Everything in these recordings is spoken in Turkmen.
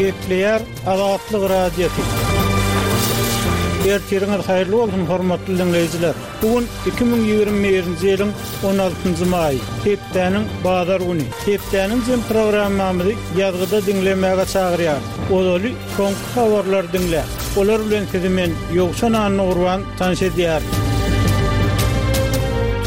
Gepleýär Azatlyk Radiosy. Ertiriňiz haýyrly bolsun, hormatly diňleýjiler! Bu gün 2021-nji ýylyň 16-njy maýy, hepdäniň bazar güni. Hepdäniň jem programmamyzy ýazgyda diňlemäge çagyrýarys. Ozaly soňky habarlary diňläň. Olar bilen sizi men, Ýowşan Annagurban, tanyş edýärin.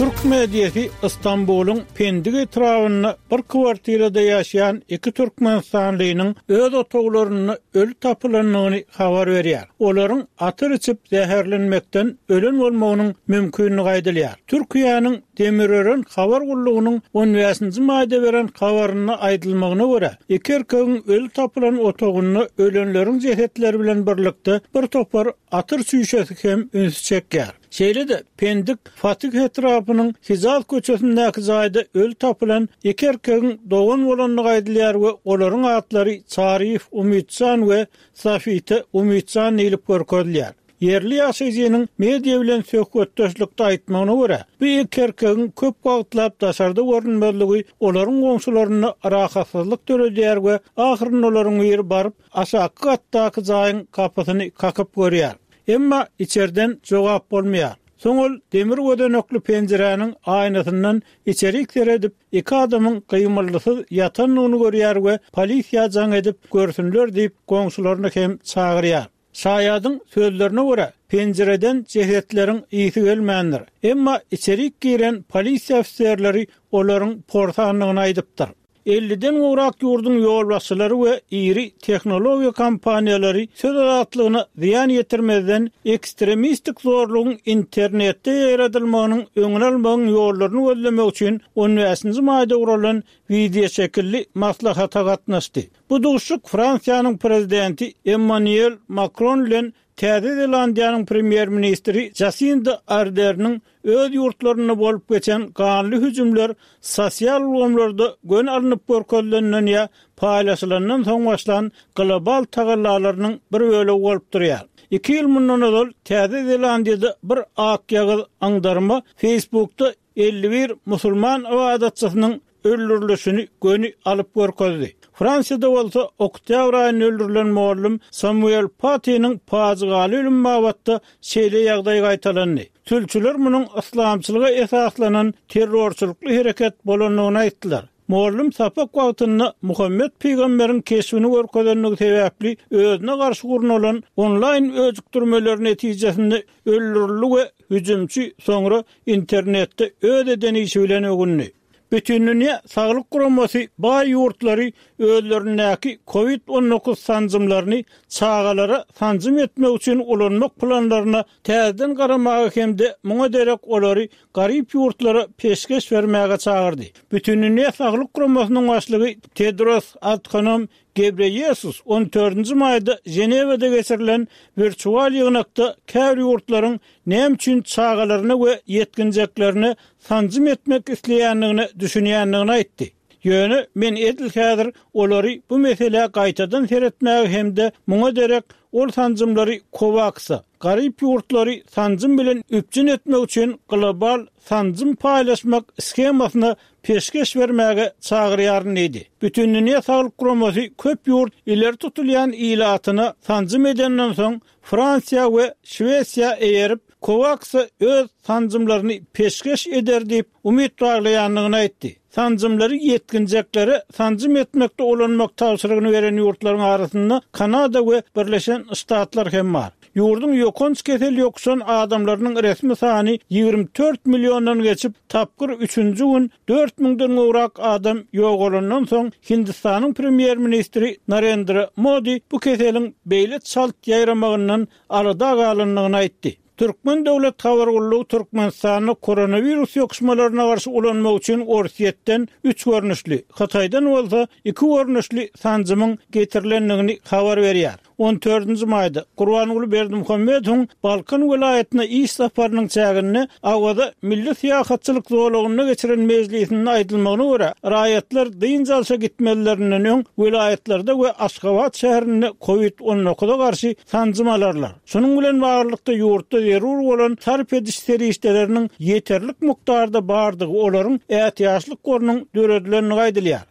Türk mediasy Stambulyň Pendik etrabynda bir kwartirada ýaşaýan iki türkmenistanlynyň öz otaglarynda öli tapylandygyny habar berýär. Olaryň atyr içip zäherlenmekden ölen bolmagynyň mümkinligi aýdylýar. Türkiýäniň Demirören habar gullugynyň on bäşinji maýda beren habarynda aýdylmagyna görä, iki erkegiň öli tapylan otagynda ölenleriň jesetleri bilen birlikde bir topar atyr çüýşesi hem ünsi çekýär. Şeýle-de, Pendik Fatih etrapynyň Hijaz köçesindäki jaýda öli tapylan iki erkegiň dogan bolandygy aýdylýar we olaryň atlary Çaryýew Umytjan we Safite Umytjan diýlip görkezilýär. Ýerli ýaşaýjynyň media bilen söhbetdeşlikde aýtmagyna görä, bu iki erkegiň köp wagtlap daşarda görünmezligi olaryň goňşularynda rahatsyzlyk döredýär we ahyrynda olaryň biri baryp, aşaky gatdaky jaýyň gapysyny kakyp görýär. Emma içerden jogap bolmaýar. Soň ol demir gözenekli penjiräniň aýnasyndan içerik seredip, iki adamyň gymyldysyz ýatandygyny görýär we polisiýa jaň edip görsünler diýip, goňşularyny hem çagyrýar. Şaýadyň sözlerine görä, penjireden jesetleriň ysy gelmändir. Emma içerik giren polisiýa ofiserleri olaryň porsandygyny aýdypdyr. Elliden gowrak ýurduň ýolbaşçylary we iri tehnologiýa kompaniýalary söz azatlygyna zyýan ýetirmezden ekstremistik zorlugyň internetde ýaýradylmagynyň öňüni almagyň ýollaryny gözlemek üçin on bäşinji maýda guralan wideoşekilli maslahata gatnaşdy. Bu duşuşyk Fransiýanyň Prezidenti Emmanuel Makron bilen Täze Zelandiýanyň Premýer-ministri Jasinda Arderniň öz ýurtlarynda bolup geçen ganly hüjümler sosial ulgamlarda göni alnyp görkezilenden ýa paýlaşylandan soň başlan global tagallalarynyň bir bölegi bolup durýar. Iki ýyl mundan ozal Täze Zelandiýada bir akýagyz aňdarma Facebookda 51 musulman ybadatçysynyň öldürilişini göni alyp görkezdi. Fransiýada bolsa oktýabr aýynda öldürilen mugallym Samuel Patiniň pajygaly ölümi babatda şeýle ýagdaý gaýtalandy. Sülçüler munuň yslamçylyga esaslanan terrorçylykly hereket bolandygyny aýtdylar. Mugallym sapak wagtynda Muhammet pygamberiň keşbini görkezendigi sebäpli özüne garşy gurnalan onlaýn öjükdirmeler netijesinde öldürildi we hüjümçi soňra internetde öz eden işi bilen öwündi. Bütindünýä Saglyk Guramasy baý ýurtlary özlerindäki Covid 19 sanjymlaryny çagalara sanjym etmek üçin ulanmak planlaryna täzeden garamaga hem-de muňa derek olary garyp ýurtlara peşgeş bermäge çagyrdy. Bütindünýä Saglyk Guramasynyň başlygy Tedros Adhanom Gebreýesus on dördünji maýda Ženewada geçirilen wirtual ýygnakda käbir ýurtlaryň näme üçin çagalaryna we ýetginjeklerine sanjym etmek isleýändigine düşünýändigini aýtdy. Ýöne men edil häzir olary bu meselä gaýtadan seretmäge hem-de muňa derek ol sanjymlary Kowaksa, garyp ýurtlary sanjym bilen üpjün etmek üçin global sanjym paýlaşmak shemasyna peşgeş bermäge çagyrýaryn diýdi. Bütindünýä Saglyk Guramasy köp ýurt ileri tutulýan ilatyna sanjym edenden soň Fransiýa we Şwesiýa eýerip, Kowaksa öz sanjymlaryny peşgeş eder diýip umyt baglaýandygyny aýtdy. Sanjymlary ýetginjeklere sanjym etmekde ulanmak tabşyrygyny beren ýurtlaryň arasynda Kanada we Birleşen Ştatlar hem bar. Ýurduň ýokanç kesel ýokuşan adamlarynyň resmi sany 24 milliondan geçip, tapgyr üçünji gün dört müňden gowrak adam ýogalandan soň, Hindistanyň premýer-ministri Narendra Modi bu keseliň beýle çalt ýaýramagyndan alada galandygyny aýtdy. Türkmen döwlet habar gullugy Türkmenistanda koronawirus ýokuşmalaryna garşy ulanmak üçin Orsýetden üç görnüşli, Hytaýdan bolsa iki görnüşli sanjymyň getirilendigini habar berýär. On dördünji maýda Gurbanguly Berdimuhamedowyň Balkan welaýatyna iş saparynyň çäginde Awaza milli syýahatçylyk zolagynda geçiren mejlisinde aýdylmagyna görä, raýatlar dynç alşa gitmezlerinden öň welaýatlarda we Aşgabat şäherinde kowid on dokuza garşy sanjym alarlar. Şunuň bilen baglylykda, ýurtda zerur bolan sarp ediş serişdeleriniň ýeterlik mukdarda bardygy, olaryň ätiýaçlyk gorunyň döredilendigi aýdylýar.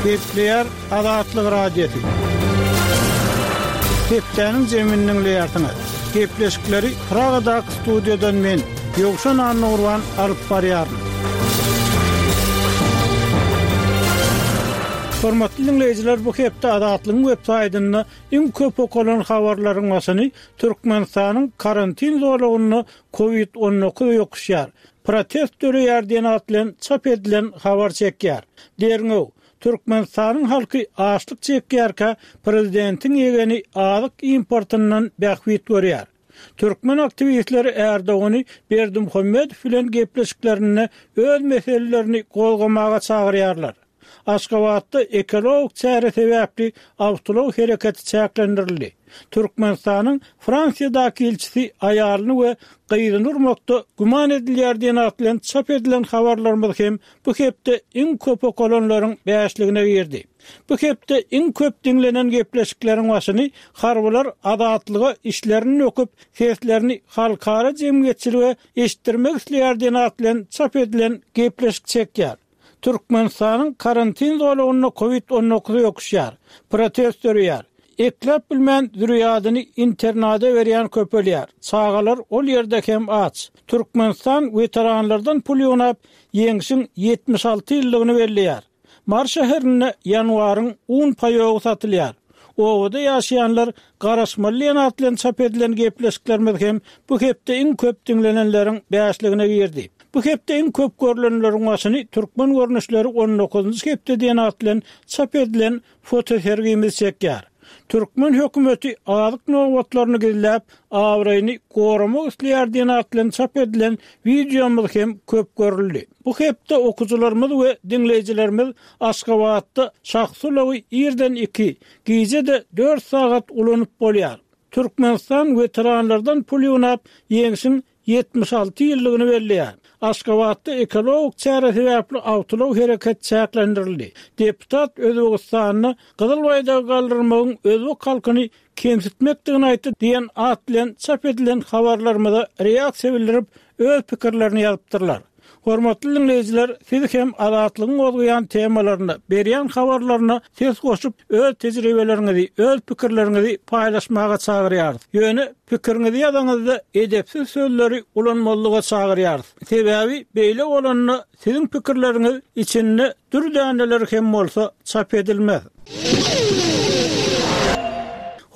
Gepleýär Azatlyk Radiosy. Hepdäniň jemini diňleýärsiňiz. Gepleşikleri Pragadaky studiýadan men, Ýowşan Annagurban alyp barýaryn. Hormatly diňleýjiler, bu hepde Azatlygyň web saýtynda iň köp okalan habarlaryň başyny Türkmenistanyň karantin zolagynda Covid 19 ýokuşýar, protest döreýär diýen at bilen çap edilen habar çekýär. Derňew, Türkmenistanyň halky açlyk çekýärkä, prezidentiň ýegeni azyk importyndan bähbit görýär. Türkmen aktiwistleri Ärdogany Berdimuhamedow bilen gepleşiklerinde öz meselelerini gozgamaga çagyrýarlar. Aşgabatda ekologik çäre sebäpli awtoulag hereketi çäklendirildi. Türkmenistanyň Fransiýadaky ilçisi aýalyny we gyzyny urmakda güman edilýär diýen at bilen çap edilen habarlarymyz hem bu hepde iň köp okalanlaryň bäşligine girdi. Bu hepde iň köp diňlenen gepleşikleriň başyny harbylar azatlyga içlerini döküp, seslerini halkara jemgyýetçilige eşitdirmek isleýär diýen at bilen çap edilen gepleşik çekýär. Türkmenistanyň karantin zolagynda kowid 19 ýokuşýar. Protest döreýär. Ekläp bilmän zürýadyny internada berýän köpelýär. Çagalar ol ýerde hem aç. Türkmenistan weteranlardan pul ýygnap, Ýeňşiň 76 ýyllygyny belleýär. Mary şäherinde ýanwaryň un paýogy satylýar. Obada ýaşaýanlar garaşmaly diýen at bilen çap edilen gepleşiklerimiz hem bu hepde iň köp diňlenenleriň bäşligine girdi. Bu hepde iň köp görlenleriň başyny Türkmen görnüşleri on dokuzynjy hepde diýen at bilen çap edilen fotosergimiz çekýär. Türkmen hökümeti azyk nobatlaryny gizläp, abraýyny goramak isleýär diýen at bilen çap edilen wideomyz hem köp görüldi. Bu hepde okyjylarymyz we diňleýjilerimiz Aşgabatda şahsy ulagy irden iki, gije-de dört sagat ulanyp bolýar. Türkmenistan weteranlardan pul ýygnap, Ýeňşiň 76 ýyllygyny belleýär. Aşgabatda ekologik çäre sebäpli awtoulag hereketi çäklendirildi. Deputat Özbegistanda Gyzyl baýdagy galdyrmagyň özbek halkyny kemsitmekdigini aýtdy diýen at bilen çap edilen habarlarymyza reaksiýa bildirip, öz pikirlerini ýazypdyrlar. Hormatly diňleýjiler, siz hem Azatlygyň gozgaýan temalaryna, berýän habarlaryna ses goşup, öz tejribeleriňizi, öz pikirleriňizi paýlaşmaga çagyrýarys. Ýöne pikiriňizi ýazaňyzda edepsiz sözleri ulanmazlyga çagyrýarys. Sebäbi beýle bolanda siziň pikirleriňiz içinde dür däneleri hem bolsa çap edilmez.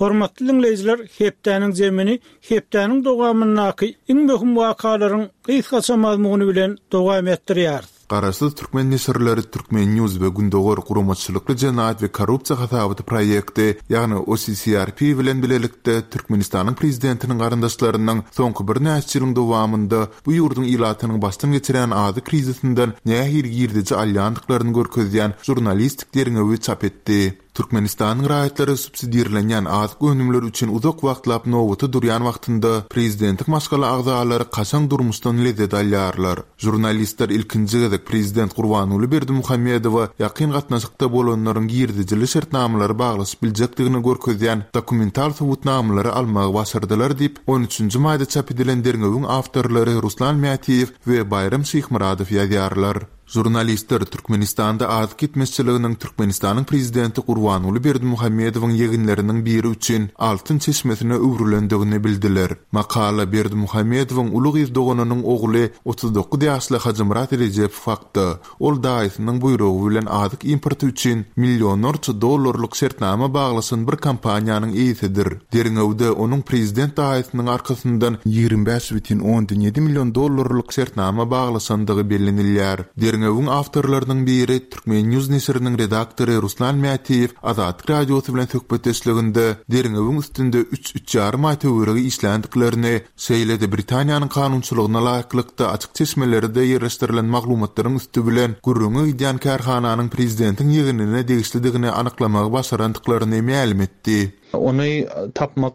Hormatly diňleýjiler, hepdäniň jemini hepdäniň dowamyndaky iň möhüm wakalaryň gysgaça mazmuny bilen dowam etdirýäris. Garaşsyz türkmen neşirleri Turkmen. News we Gündogar guramaçylykly jenaýat we korrupsiýa hasabaty proýekti, ýagny OCCRP bilen bilelikde Türkmenistanyň prezidentiniň garyndaşlarynyň soňky birnäçe ýylyň dowamynda bu ýurduň ilatynyň başdan geçirýän azyk krizisinden nähili girdeji alýandyklaryny görkezýän žurnalistik derňewi çap etdi. Türkmenistanyň raýatlary subsidirlenýän azyk önümleri üçin uzak wagtlap nobata durýan wagtynda, prezidentiň maşgala agzalary kaşaň durmuşdan lezzet alýarlar. Žurnalistler ilkinji gezek prezident Gurbanguly Berdimuhamedowa ýakyn gatnaşykda bolanlaryň girdejili şertnamalary baglaşyp biljekdigini görkezýän dokumental subutnamalary almagy başardylar diýip, on üçünji maýda çap edilen derňewiň awtorlary Ruslan Mätiýew we Baýram Şyhmyradow ýazýarlar. Žurnalistler Türkmenistanda azyk ýetmezçiliginiň Türkmenistanyň prezidenti Gurbanguly Berdimuhamedowyň ýeginleriniň biri üçin altyn çeşmesine öwrülendigini bildiler. Makala Berdimuhamedowyň uly gyz doganynyň ogly 39 ýaşly Hajymyrat Rejepow hakda. Ol daýysynyň buýrugy bilen azyk importy üçin millionlarça dollarlyk şertnama baglaşan bir kompaniýanyň eýesidir. Derňewde onuň prezident daýysynyň arkasyndan 25 bütin ondan ýedi million dollarlyk şertnama baglaşandygy bellenilýär. Derňewiň awtorlarynyň biri, Turkmen. News neşiriniň redaktory Ruslan Mätiýew Azatlyk Radiosy bilen söhbetdeşliginde derňewiň üstünde üç, üç ýarym aý töweregi işländiklerini, Şeýle-de Britaniýanyň kanunçylygyna laýyklykda açyk çeşmelerde ýerleşdirilen maglumatlaryň üsti bilen gürrüňi gidýän kärhananyň prezidentiň ýegenine degişlidigini anyklamagy başarandyklaryny mälim etdi. Ony tapmak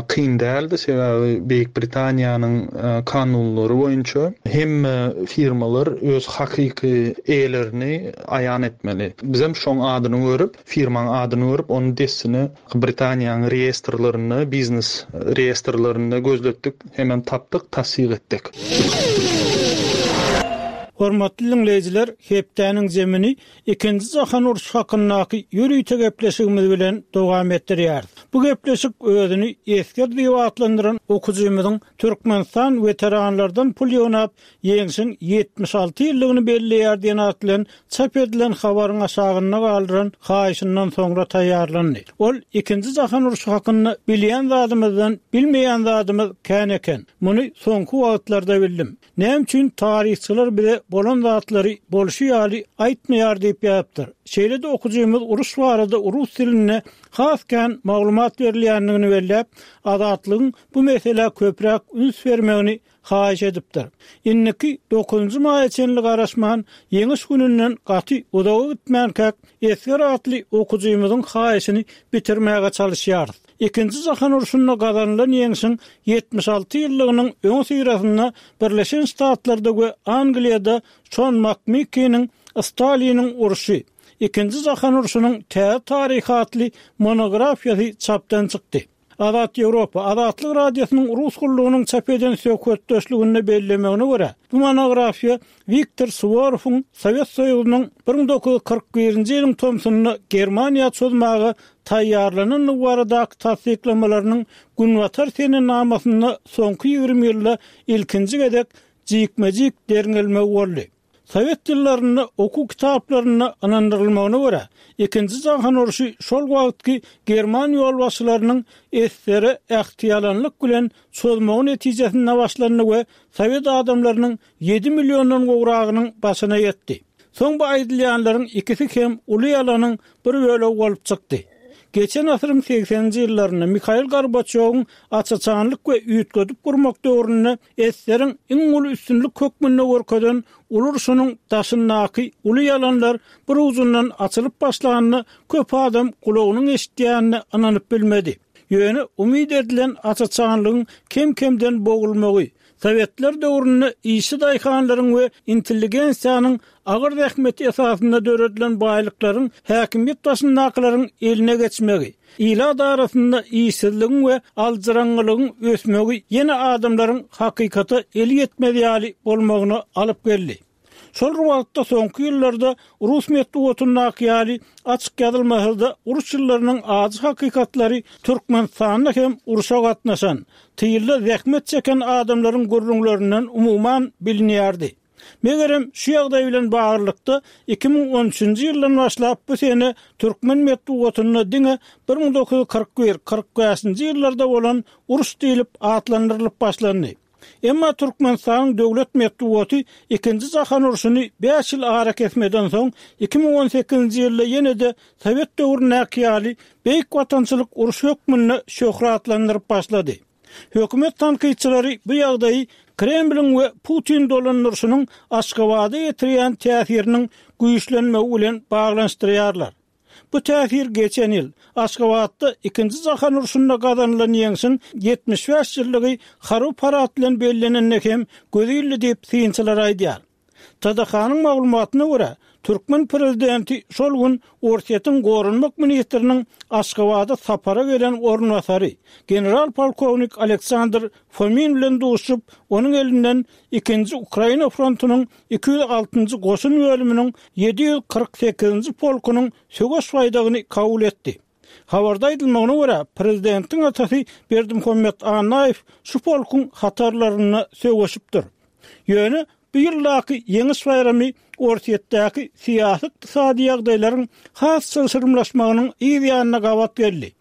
kyn däldi, sebäbi Beýik Britaniýanyň kanunlary boýunça hemme firmalar öz hakyky eýelerini aýan etmeli. Bizem şoň adyny görüp, firmaň adyny görüp, ony dessine Britaniýanyň reýestrlerinde, biznes reýestrlerinde gözletdik, hemem tapdyk, tassyk etdik. Hormatly diňleýjiler, hepdäniň zemini Ikinji jahan urşy hakyndaky ýörite gepleşigimiz bilen dowam etdirýäris. Bu gepleşik özüni esger diýip atlandyran okyjymyzyň Türkmenistan weteranlardan pul ýygnap, Ýeňşiň 76 ýyllygyny belleýär diýen at bilen çap edilen habaryň aşagynda galdyran haýyşyndan soňra taýýarlandy. Ol Ikinji jahan urşy hakynda bilýän zadymyzdan bilmeýän zadymyz kän eken. Muny soňky wagtlarda bildim. Näme üçin taryhçylar bize bolan zatlary bolşy ýaly aýtmaýar diýip ýazypdyr. Şeýle-de okyjymyz uruş barada rus dilinde has kän maglumat berilýändigini belläp, Azatlygyň bu meselä köpräk üns bermegini haýyş edipdir. Indiki dokuzynjy maýa çenli garaşman, Ýeňiş gününden gaty uzaga gitmänkäk, Esger atly okyjymyzyň haýyşyny bitirmäge çalyşýarys. Ikinji jahan urşunda gazanylan ýeňşiň 76 ýyllygynyň öňüsyrasynda Birleşen Ştatlarda we Angliýada Şon Makmikiniň Staliniň urşy, Ikinji jahan urşunyň täze taryhy atly monografiýasy çapdan çykdy. Azat Ýewropa, Azatlyk Radiosynyň Rus gullugynyň çap eden söhbetdeşliginde bellemegine görä, bu monografiýa Wiktor Suworowyň Sowet Soýuzynyň 1941-nji ýylyň tomsunda Germaniýa çozmaga taýýarlanandygy baradaky tassyklamalarynyň Günbatar senenamasynda soňky 20 ýylda ilkinji gezek jikme-jik derňelmegi boldy. Sowet ýyllarynda okuw kitaplarynda ynandyrylmagyna görä, Ikinji jahan urşy şol wagtky german ýolbaşçylarynyň esere ähtiýalanlyk bilen çozmagy netijesinde başlandy we sowet adamlarynyň ýedi milliondan gowragynyň başyna ýetdi. Soň bu aýdylýanlaryň ikisi hem uly ýalanyň bir bölegi bolup çykdy. Geçen asyryň segseninji ýyllarynda Mihail Gorbaçýowyň aç-açanlyk we üýtgedip gurmak döwründe Eseriň iň uly üstünlik hökmünde görkezen uly urşunyň daşyndaky uly ýalanlar bir ujundan açylyp başlanda köp adam gulagynyň eşidýänine ynanyp bilmedi. Ýöne umyt edilen aç-açanlygyň kem-kemden bogulmagy, sowetler döwründe işçi daýhanlaryň we intelligensiýanyň agyr zähmeti esasynda döredilen baýlyklaryň häkimiýet başyndakylaryň eline geçmegi, ilat arasynda işsizligiň we aljyraňňylygyň ösmegi ýene adamlaryň hakykata eli ýetmez ýaly bolmagyna alyp geldi. Şol bir wagtda soňky ýyllarda rus metbugatyndaky ýaly açyk ýazylmasa-da uruş ýyllarynyň ajy hakykatlary Türkmenistanda hem urşa gatnaşan, tylda zähmet çeken adamlaryň gürrüňlerinden umuman bilinýärdi. Megerem, şu ýagdaý bilen baglylykda, 2013-nji ýyldan başlap bu sene türkmen metbugatynda diňe 1941, 45-nji ýyllarda bolan uruş diýlip atlandyrylyp başlandy. Emma Türkmenistanyň döwlet metbugaty Ikinji jahan urşuny bäş ýyl arakesmeden soň, 2018-nji ýylda ýene-de sowet döwründäki ýaly Beýik Watançylyk urşy hökmünde şöhratlandyryp başlady. Hökümet tankytçylary bu ýagdaýy Kremliň we Putin dolandyryşynyň Aşgabada ýetirýän täsiriniň güýçlenmegi bilen baglanyşdyrýarlar. Bu täsir geçen ýyl, Aşgabatda Ikinji jahan urşunda gazanylan ýeňşiň 75 ýyllygy harby parad bilen bellenende hem göze ildi diýip, synçylar aýdýar. TDH-nyň maglumatyna görä, türkmen prezidenti şol gün Orsýetiň goranmak ministriniň Aşgabada sapara gelen orunbasary, general-polkownik Aleksandr Fomin bilen duşup, onuň elinden Ikinji Ukraina frontunyň 206-njy goşun bölüminiň 748-nji polkunyň söweş baýdagyny kabul etdi. Habarda aýdylmagyna görä, prezidentiň atasy Berdimuhamet Annaýew şu polkuň hatarlarynda söweşipdir. Ýöne bu ýyldaky Ýeňiş baýramy Orsýetdäki syýasy-ykdysady ýagdaýlaryň has çylşyrymlaşmagynyň yz ýanyna gabat geldi.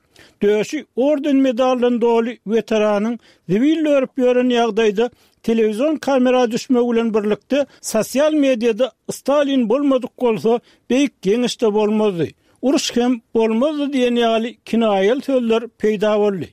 Döşi orden-medaldan doly weteranyň zibil dörüp ýören ýagdaýda telewizion kamera düşmegi bilen birlikde sosial mediada Stalin bolmadyk bolsa, Beýik Ýeňiş-de bolmazdy, uruş hem bolmazdy diýen ýaly kinaýaly sözler peýda boldy.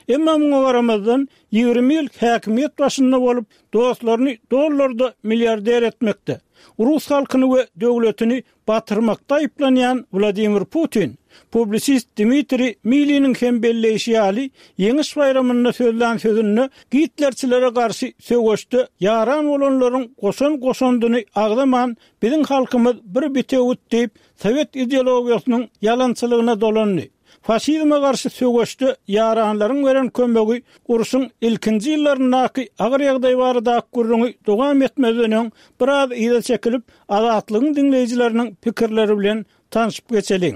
Emma muňa garamazdan, 20 ýyl häkimiýet başynda bolup, dostlaryny dollarda milliarder etmekde, rus halkyny we döwletini batyrmakda aýyplanýan Wladimir Putin, publisist Dmitriý Miliniň hem belleýşi ýaly, Ýeňiş baýramynda sözlän sözünde gitlerçilere garşy söweşde ýaran bolanlaryň goşan goşandyny agzaman, biziň halkymyz bir bitewüt diýip, sowet ideologiýasynyň ýalançylygyna dolandy. Faşizme garşy söweşde ýaranlaryň beren kömegi urşuň ilkinji ýyllaryndaky agyr ýagdaý baradaky gürrüňi dowam etmezden öň biraz yza çekilip, Azatlygyň diňleýjileriniň pikirleri bilen tanşyp geçeliň.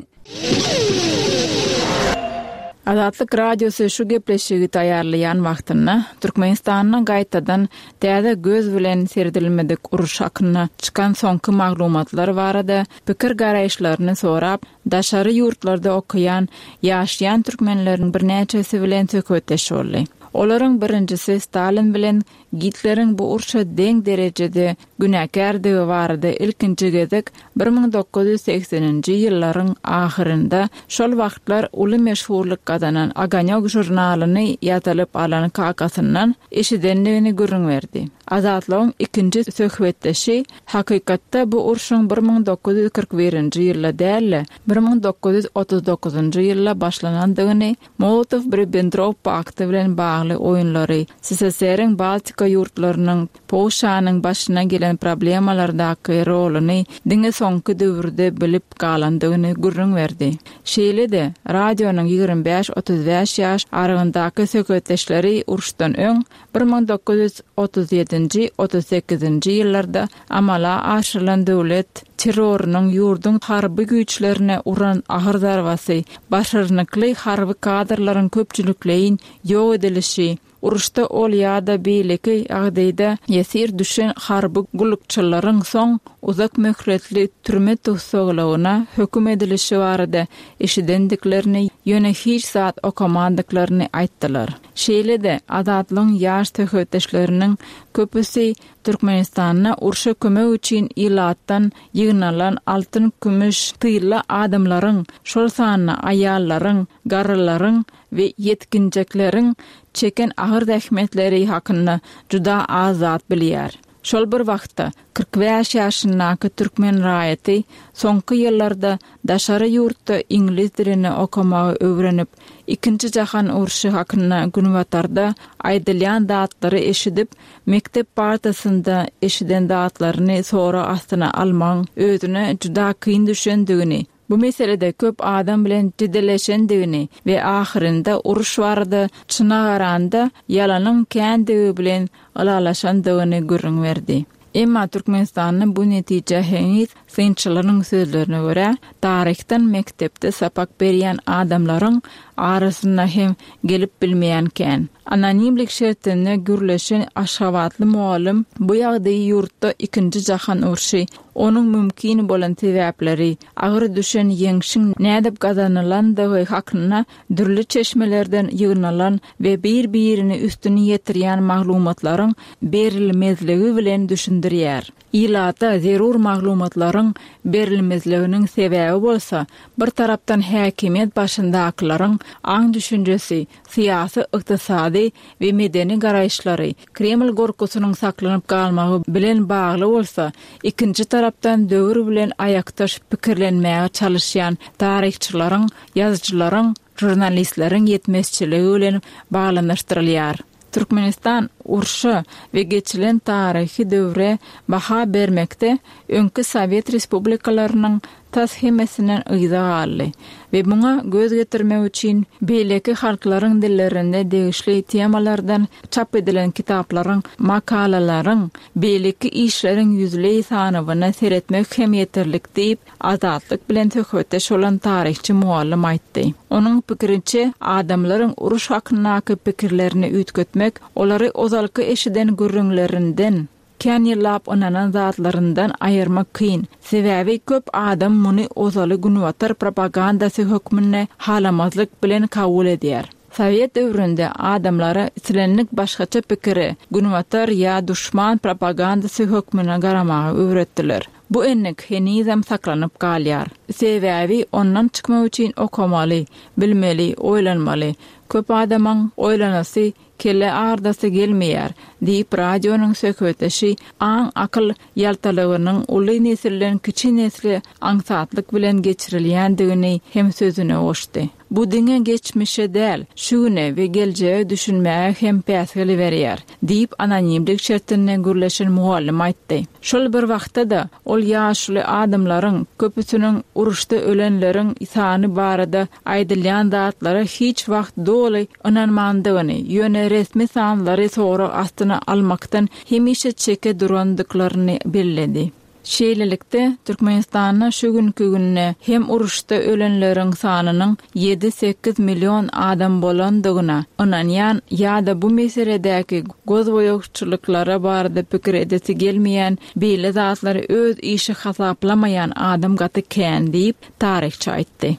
Azatlyk Radiosy şu gepleşigi taýýarlaýan wagtynda Türkmenistanda gaýtadan täze göz bilen seredilmedik uruş hakynda çykan soňky maglumatlar barada pikir-garaýyşlaryny sorap, daşary ýurtlarda okaýan, ýaşaýan türkmenleriň birnäçesi bilen söhbetdeş boldy. Olaryň birinjisi Stalin bilen Gitleriň bu urşa deň derejede günäkärdigi barada ilkinji gezek 1980-nji ýyllaryň ahyrynda şol wagtlar uly meşhurlyk gazanan Ogonýok žurnalyny ýazylyp alan kakasyndan eşidendigini gürrüň berdi. Azatlygyň ikinji söhbetdeşi hakykatda bu urşuň 1941-nji ýylda däl-de, 1939-njy ýylda başlanandygyny Molotow-Ribbentrop pakty bilen bagly oýunlary, SSR-iň Baltika ýurtlarynyň, Polşanyň başyna gelen problemalardaky roluny diňe soňky döwürde bilip galandygyny gürrüň berdi. Şeýle-de, radionyň 25, 35 ýaş aralygyndaky söhbetdeşleri uruşdan öň, 1937-nji, 38-nji ýyllarda amala aşyrylan döwlet terrorynyň ýurduň harby güýçlerine uran agyr zarbasy, başarnykly harby kadrlaryň köpçülikleýin ýok edilişi, uruşda ol ýa-da beýleki ýagdaýda ýesir düşen harby gullukçylaryň soň uzak möhletli türme tussaglygyna höküm edilişi barada eşidendiklerini, ýöne hiç zat okamandyklaryny aýtdylar. Şeýle-de, Azatlygyň ýaş söhbetdeşleriniň köpüsi Türkmenistanda urşa kömek üçin ilatdan ýygnalan altyn-kümüş, tylla adamlaryň, şol sanda aýallaryň, garrylaryň we ýetginjekleriň çeken agyr zähmetleri hakynda juda az zat bilýär. Şol bir wagtda, 45 ýaşyndaky türkmen raýaty soňky ýyllarda daşary ýurtda iňlis dilini okamagy öwrenip, Ikinji jahan urşy hakynda Günbatarda aýdylýan zatlary eşidip, mekdep partasynda eşiden zatlaryny sorag astyna almagyň özüne juda kyn düşendigini, bu meselede köp adam bilen jedelleşendigini we ahyrynda uruş barada çyna garanda ýalanyň kändigi bilen ylalaşandygyny gürrüň berdi. Emma Türkmenistanda bu netijä heniz, synçylaryň sözlerine görä, taryhdan mekdepde sapak berýän adamlaryň arasynda hem gelip bilmeýän kän. Anonimlik şertinde gürleşen aşgabatly mugallym bu ýagdaýy ýurtda ikinji jahan urşy, onuň mümkin bolan sebäpleri, agyr düşen ýeňşiň nädip gazanylandygy hakynda dürli çeşmelerden ýygnalan we bir-birini üstüni ýetirýän maglumatlaryň berilmezligi bilen düşündirýär. Ilata zerur maglumatlaryň berilmezliginiň sebäbi bolsa, bir tarapdan häkimiýet başyndakylaryň aň-düşünjesi, syýasy, ykdysady we medeni garaýyşlary, Kreml gorkusynyň saklanyp galmagy bilen bagly bolsa, ikinji tarapdan döwür bilen aýakdaş pikirlenmäge çalyşýan taryhçylaryň, ýazyjylaryň, žurnalistleriň ýetmezçiligi bilen baglanyşdyrylýar. Türkmenistan urşa we geçilen taryhy döwre baha bermekde öňki sowet respublikalarynyň tas hemmesinden yza galdy we muňa göz getirmek üçin beýleki halklaryň dillerinde degişli temalardan çap edilen kitaplaryň, makalalaryň, beýleki işleriň ýüzleý sanawyna seretmek hem ýeterlik diýip, Azatlyk bilen söhbetdeş bolan taryhçy mugallym aýtdy. Onuň pikiriçe, adamlaryň uruş hakyndaky pikirlerini üýtgetmek, olary ozalky eşiden gürrüňlerinden, kän ýyllap ynanan zatlaryndan aýyrmak kyn, sebäbi köp adam muny ozaly günbatar propagandasy hökmünde halamazlyk bilen kabul edýär. Sowet döwründe adamlara islendik başgaça pikire günbatar ýa duşman propagandasy hökmünde garamagy öwretdiler. Bu endik henizem saklanyp galýar. Sebäbi ondan çykmak üçin okamaly, bilmeli, oýlanmaly. Köp adamyň oýlanasy, kelle agrdasy gelmeýär, diýip, radionyň söhbetdeşi aň-akyl ýaltalygynyň uly nesilden kiçi nesle aňsatlyk bilen geçirilýändigini hem sözüne goşdy. Bu diňe geçmişe däl, şu güne we geljege düşünmäge hem päsgel berýär, diýip, anonimlik şertinde gürleşen mugallym aýtdy. Şol bir wagtda-da, ol. ýaşuly adamlaryň köpüsiniň uruşda ölenleriň sany barada aýdylýan zatlara hiç wagt doly ynanmandygyny, ýöne resmi sanlary sorag astyna almakdan hemişe çeke durandyklaryny belledi. Şeýlelikde, Türkmenistanda şu günki günde hem uruşda ölenleriň sanynyň ýedi-sekiz million adam bolandygyna ynanýan ýa-da bu meseledäki gözboýagçylyklara barada pikir edesi gelmeýän, beýle zatlary öz işi hasaplamaýan adam gaty kän diýip, taryhçy aýtdy.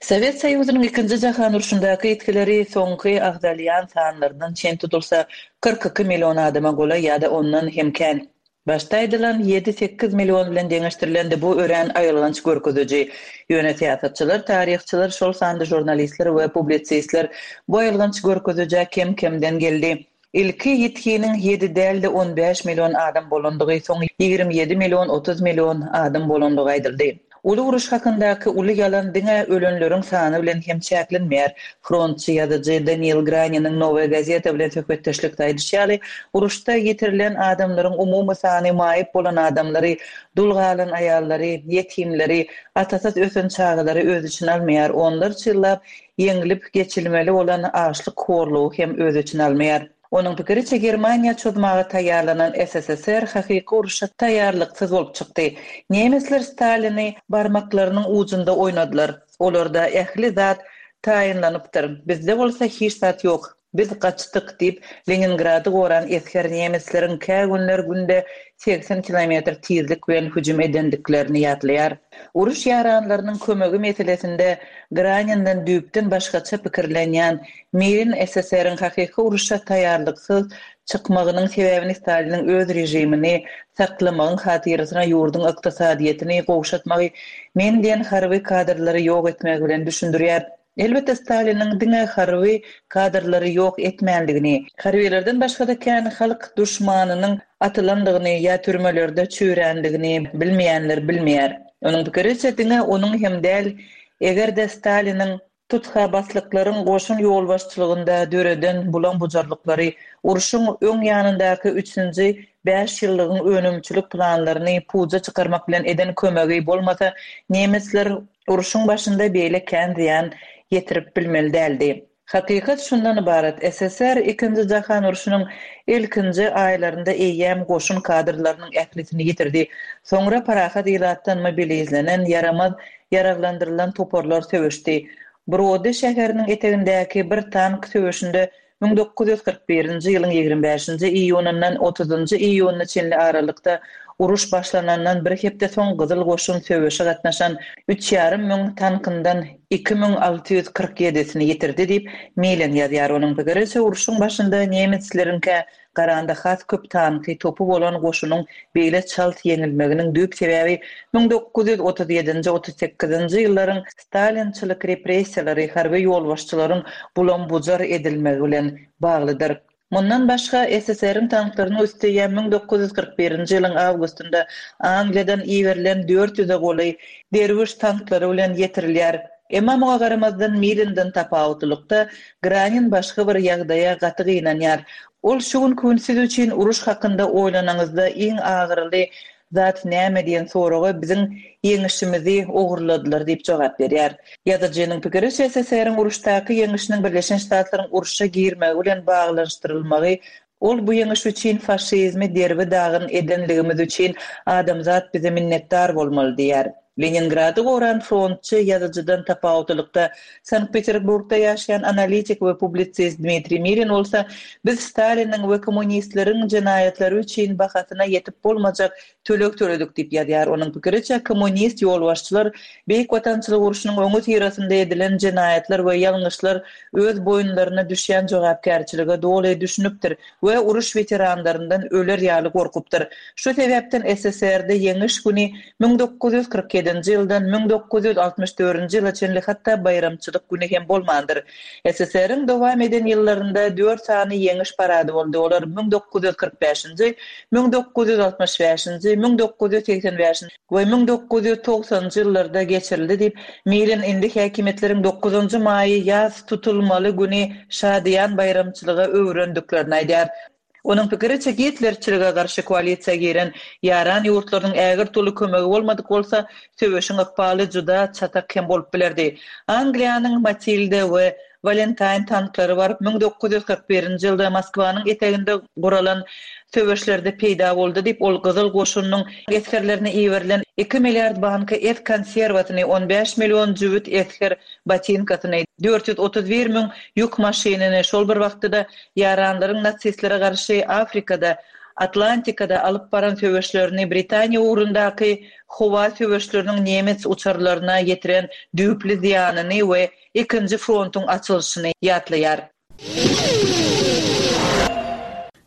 Sowet Soýuzynyň Ikinji jahan urşundaky ýitgileri soňky agzalýan sanlardan çen tutulsa, 42 million adama golaý ýa-da ondan hem kän. Başda aýdylan ýedi-sekiz million bilen deňeşdirilende bu örän aýylganç görkeziji. Ýöne syýasatçylar, taryhçylar, şol sanda žurnalistler we publisistler bu aýylganç görkezijä kem-kemden geldi. Ilki ýitginiň ýedi däl-de 15 million adam bolandygy, soň 27 million, 30 million adam bolandygy aýdyldy. Uly uruş hakyndaky uly ýalan diňe ölenleriň sany bilen hem çäklenmeýär. Frontçy ýazyjy Daniil Graniniň Nowaýa gazeta bilen söhbetdeşlikde aýdyşy ýaly, uruşda ýitirilen adamlaryň umumy sany maýyp bolan adamlary, dul galan aýallary, ýetimleri, atasyz ösen çagalary öz içine almaýar, onlarça ýyllap ýeňlip geçilmeli bolan açlyk horlugy hem öz içine almaýar. Onuň pikiriçe, Germaniýa çozmaga taýýarlanan SSSR hakyky urşa taýýarlyksyz bolup çykdy. Nemesler Stalini barmaklarynyň ujunda oýnadylar. Olarda ähli zat taýynlanypdyr, bizde bolsa hiç zat ýok. Biz gaçdyk, diýip, Leningrady goran esger nemesleriň kä günler günde 80 kilometr tizlik bilen hüjüm edendiklerini ýatlaýar. Uruş ýaranlarynyň kömegi meselesinde Graninden düýpden başgaça pikirlenýän Mirin SSR-iň hakyky uruşa taýýarlyksyz çykmagynyň sebäbini Staliniň öz režimini saklamagyň hatyrasyna ýurduň ykdysadyýetini gowşatmagy, men diýen harby kadrlary ýok etmegi bilen düşündirýär. Elbetde Staliniň diňe harby kadrlary ýok etmändigini, harbylardan başga-da kän halk duşmanynyň atylandygyny ýa türmelerde çüýrändigini bilmeýänler bilmeýär. Onuň pikiriçe diňe onuň hem däl, eger-de Staliniň tutha-baslyklaryň goşun ýolbaşçylygynda döreden bulam-bujarlyklary, urşuň öň ýanyndaky üçünji bäşýyllygyň önümçilik planlaryny puja çykarmak bilen eden kömegi bolmasa, nemesler Urşuň başynda beýle kän zyýan ýetirip bilmeli däldi. Hakykat şundan ybarat, SSR Ikinji jahan urşunyň ilkinji aýlarynda eýýäm goşun kadrlarynyň ählisini ýitirdi. Soňra parahat ilatdan mobilizlenen, ýaramaz ýaraglandyrylan toparlar söweşdi. Brody şäheriniň etegindäki bir tank söweşinde 1941-nji ýylyň 25-nji iýunyndan 30-njy iýunyna çenli aralykda uruş başlanandan bir hepde soň Gyzyl Goşun söweşe gatnaşan üç ýarym müň tankyndan 2647-sini ýitirdi diýip, Milen ýazýar. Onuň pikiriçe, urşuň başynda nemesleriňkä garanda has köp tanky, topy bolan goşunyň beýle çalt ýeňilmeginiň düýp sebäbi 1937-nji, 38-nji ýyllaryň Stalinçilik repressiýalary harby ýolbaşçylaryň bulam-bujar edilmegi bilen baglydyr. Mundan başga, SSR-iň tanklarynyň üsti ýa 1941-nji ýylyň awgustynda Angliýadan iberilen dört ýüze golaý Derwiş tanklary bilen ýetirilýär. Emma muňa garamazdan Milinden tapawutlylykda, Granin başga bir ýagdaýa gaty gynanýar. Ol şu günki gün siz üçin uruş hakynda oýlanaňyzda iň agyryly Zat näme diýen soraga biziň ýeňişimizi ogurladylar diýip jogap berýär. Ýazyjynyň pikiriçe, SSR-iň uruşdaky ýeňişiniň Birleşen Ştatlaryň urşa girmegi bilen baglanyşdyrylmagy ol bu ýeňiş üçin faşizmi derbi-dagyn edenligimiz üçin adamzat bize minnetdar bolmaly diýýär. Leningrady goran frontçy ýazyjydan tapawutlylykda, Sankt-Peterburgda ýaşaýan analitik we publisist Dmitriý Mirin bolsa, Biz Staliniň we kommunistleriň jenaýatlary üçin bahasyna ýetip bolmajak töleg töledik diýip ýazýar. Onuň pikiriçe, kommunist ýolbaşçylar Beýik Watançylyk urşunyň öňüsyrasynda edilen jenaýatlar we ýalňyşlar öz boýunlaryna düşýän jogapkärçilige doly düşünipdir we uruş weteranlaryndan öler ýaly gorkupdyr. Şu sebäpden SSR-de Ýeňiş güni 1947-nji ýyldan 1964-nji ýyla çenli hatda baýramçylyk güni hem bolmandyr. SSR-iň dowam eden ýyllarynda dört sany Ýeňiş parady boldy, olar 1945-nji, 1965-nji, 1985-nji we 1990-njy ýyllarda geçirildi diýip, Milin indi häkimiýetleriň dokuzynjy maýy ýas tutulmaly güni şadyýan baýramçylyga öwürendiklerini aýdýar. Onuň pikiriçe, gitlerçilige garşy koalisiýa giren ýaran ýurtlarynyň ägirt uly kömegi bolmadyk bolsa, söweşiň ykbaly juda çatak hem bolup bilerdi. Angliýanyň Matilda we Walentaýn tanklary baryp 1941-nji ýylda Moskwanyň eteginde guralan söweşlerde peýda boldy diýip, ol Gyzyl Goşunyň esgerlerine iberilen iki milliard banka et konserwasyny, on bäş million jübüt esger botinkasyny, 431 müň ýük maşynyny, şol bir wagtda-da ýaranlaryň nasistlere garşy Afrikada, Atlantikada alyp baran söweşlerini Britaniýa ugrundaky howa söweşleriniň nemes uçarlaryna ýetiren düýpli zyýanyny we ikinji frontuň açylyşyny ýatlaýar.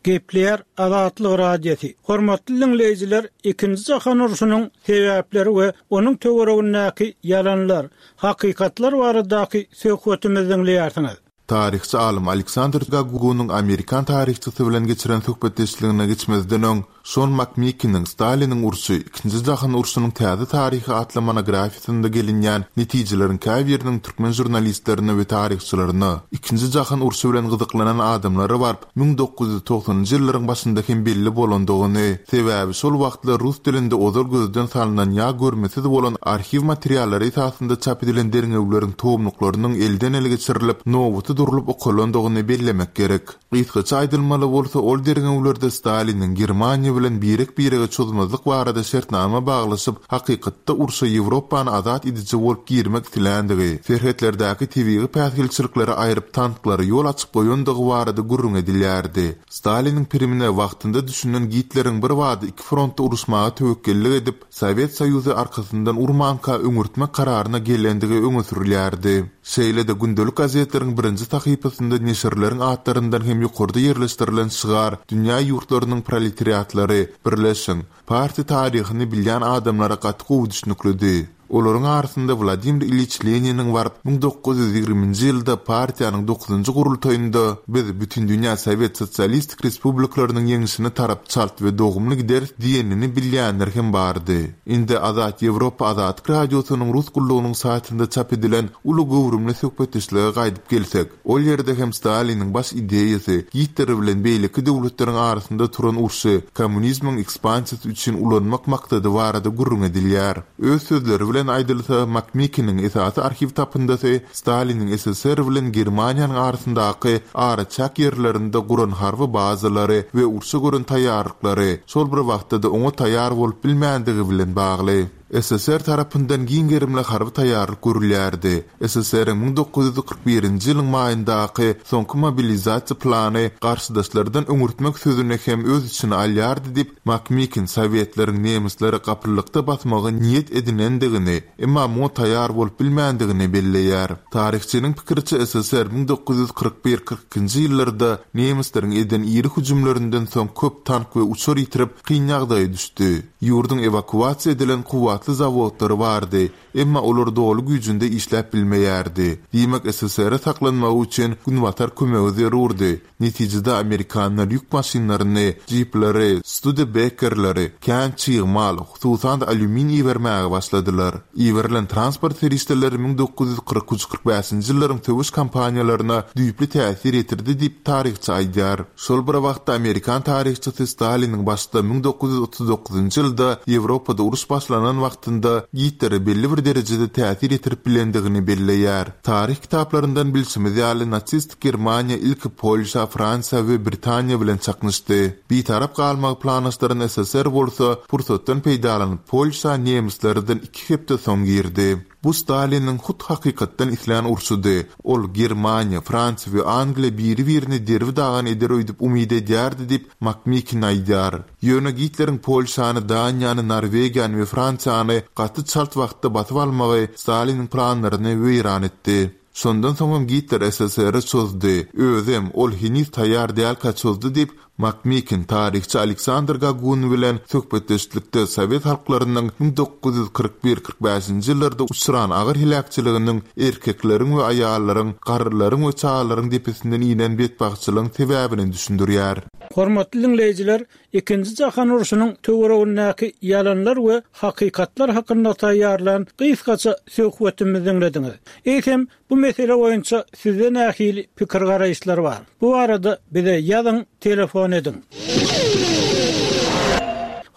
Gepleýär Azatlyk Radiosy. Hormatly diňleýjiler, Ikinji jahan urşunyň sebäpleri we onuň töweregindäki ýalanlar, hakykatlar baradaky söhbetimizi diňleýärsiňiz. Taryhçy alym Aleksandr Gagunyň amerikan taryhçysy bilen geçiren söhbetdeşligine geçmezden öň, Şon Makmikiniň Staliniň urşy, Ikinji jahan urşunyň täze taryhy atly monografiýasynda gelinýän netijeleriň käbiriniň türkmen žurnalistlerine we taryhçylaryna, Ikinji jahan urşy bilen gyzyklanan adamlara baryp, 1990-njy ýyllaryň başynda hem belli bolandygyny, sebäbi şol wagtlar rus dilinde ozal gözden salnan ýa görmesiz bolan arhiw materiallary esasynda çap edilen derňewleriň tomluklarynyň elden-ele geçirilip, nobata durlup okalandygyny bellemek gerek. Gysgaça aýdylmaly bolsa, ol derňewlerde Staliniň Germaniýa bilen birek-birege çozmazlyk barada şertnama baglaşyp, hakykatda urşa Ýewropany azat ediji bolup girmek isländigi, serhetlerdäki tebigy päsgelçilikleri aýryp tanklara ýol açyp goýandygy barada gürrüň edilýärdi. Staliniň pirimine wagtynda düşünen Gitleriň birbada iki frontda uruşmaga töwekgellik edip, Sowet Soýuzy arkasyndan urmanka öňürtmek kararyna gelendigi öňe sürülýärdi. Şeýle-de gündelik gazetleriň birinji sahypasynda neşirleriň atlaryndan hem ýokarda ýerleşdirilen şygar Dünýä ýurtlarynyň proletariatlary, birleşiň! Partiýa taryhyny bilýän adamlara gaty gowy düşnüklidi. Olaryň arasynda Wladimir Ilýiç Leniniň baryp, 1920-nji ýylda partiýanyň dokuzynjy gurultaýynda Biz Bütindünýä Sowet Sosialistik Respublikalarynyň ýeňşine tarap çalt we dogumly gideris diýenini bilýänler hem bardy. Indi Azat Ýewropa Azatlyk Radiosynyň Rus gullugynyň saýtynda çap edilen uly göwrümli söhbetdeşlige gaýdyp gelsek, Ol ýerde hem Staliniň baş ideýasy Gitler bilen beýleki döwletleriň arasynda turan urşy kommunizmiň ekspansiýasy üçin ulanmak maksady barada gürrüň edilýär. Öz sözleri bilen aýdylsa, Makmikiniň esasy arhiw tapyndysy Staliniň SSR bilen Germaniýanyň arasyndaky araçäk ýerlerinde guran harby bazalary we urşa gören taýýarlyklary, şol bir wagtda-da oňa taýýar bolup bilmändigi bilen bagly. SSR tarapyndan giň gerimli harby taýýarlyk görülýärdi. SSR-iň 1941-nji ýylyň maýyndaky soňky mobilizasiýa plany garşydaşlardan öňürtmek sözüni hem öz içine alýardy diýip, Makmikin sowetleriň nemisleri gapyllykda basmagy niýet edinendigini, emma muňa taýýar bolup bilmändigini belleýär. Taryhçynyň pikiriçe, SSR 1941, 42-nji ýyllarda nemisleriň eden iri hüjümlerinden soň köp tank we uçar ýitirip, kyn ýagdaýa düşdi. Ýurduň ewakuasiýa edilen kuwwatly zawodlary bardy, emma olar doly güýjünde işläp bilmeýärdi. Diýmek, SSR-e saklanmagy üçin Günbatar kömegi zerurdy. Netijede amerikanlar ýük maşynlaryny, jipleri, Studebakerleri, kän çig mal, hususan-da alýumin ibermäge başladylar. Iberilen transport serişdeleri 1943, 45-nji ýyllaryň söweş kampaniýalaryna düýpli täsir ýetirdi diýip, taryhçy aýdýar. Şol bir wagtda amerikan taryhçysy Staliniň başda 1939-njy ýylda Ýewropada uruş başlanan wagtynda Gitlere belli bir derejede täsir ýetirip bilendigini belleýär. Taryh kitaplaryndan bilşimiz ýaly nasistik Germaniýa ilki Polşa, Fransiýa we Britaniýa bilen çaknyşdy. Bitarap galmagy planlaşdyran SSR bolsa pursatdan peýdalanyp Polşa nemislerden iki hepde soň girdi. Bu Staliniň hut hakykatdan islän urşudy. Ol Germaniýa, Fransiýa we Angliýa biri-birini derbi-dagyn eder öýdüp umyt edýärdi diýip, Makmikin aýdýar. Ýöne Gitleriň Polşany, Daniýany, Norwegiýany we Fransiýany gaty çalt wagtda basyp almagy Staliniň planlaryny weýran etdi. Şondan soňam Gitler SSR-e çozdy. Özem, ol heniz taýýar dälkä çozdy diýip, Makmikin taryhçy Aleksandr Gagun bilen söhbetdeşlikde sowet halklarynyň 1941, 45-nji ýyllarda uçran agyr heläkçiliginiň erkekleriň we aýallaryň, garrylaryň we çagalaryň depesinden inen betbagtçylygyň sebäbini düşündirýär. Hormatly diňleýjiler, Ikinji jahan urşunyň töweregindäki ýalanlar we hakykatlar hakynda taýýarlan gysgaça söhbetimizi diňlediňiz. Eýsem, bu mesele boýunça sizde nähili pikir-garaýyşlar bar? Bu barada bize ýazyň, telefon ediň.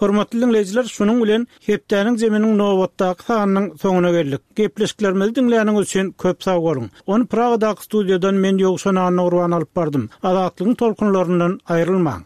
Hormatly diňleýjiler, şunuň bilen Hepdäniň zeminiň nobatdaky sanynyň soňuna geldik. Gepleşiklerimizi diňläniňiz üçin köp sag boluň. Ony Pragadaky studiýadan men Ýowşan Annagurban alyp bardym. Azatlygyň tolkunlaryndan aýrylmaň.